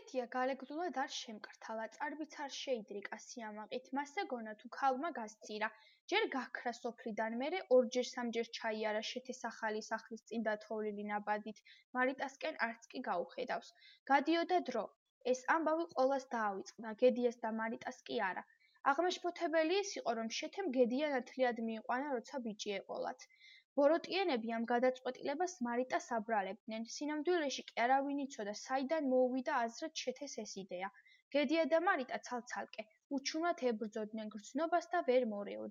გედია გალეგდულად არ შემკრთალა, წარბიც არ შეიდრიკა სიამაყით, მასზე გონა თუ ქალმა გასწირა. ჯერ გაქრა სოფლიდან, მერე ორჯერ-სამჯერ ჩაიარა შეთესახალი სახლის წინ დათოვლილი ნაბადით, მარიტასკენ არც კი გაუხედავს. გადიოდა დრო. ეს ამბავი ყველას დაავიწყდა, გედიას და მარიტას კი არა. აღმაშფოთებელი ის იყო, რომ შეთემ გედია ნათლიად მიიყვანა, როცა ბიჭი ეყოლათ. ბოროტიენები ამ გადაწყვეტილებას მარიტას აბრალებდნენ. სინამდვილეში კი არავინ იცოდა, საიდან მოუვიდა აზრად შეთეს ეს იდეა. გედია და მარიტა ცალ-ცალკე, უჩვენად ებრძოდნენ გრძნობას და ვერ მორეოდნენ.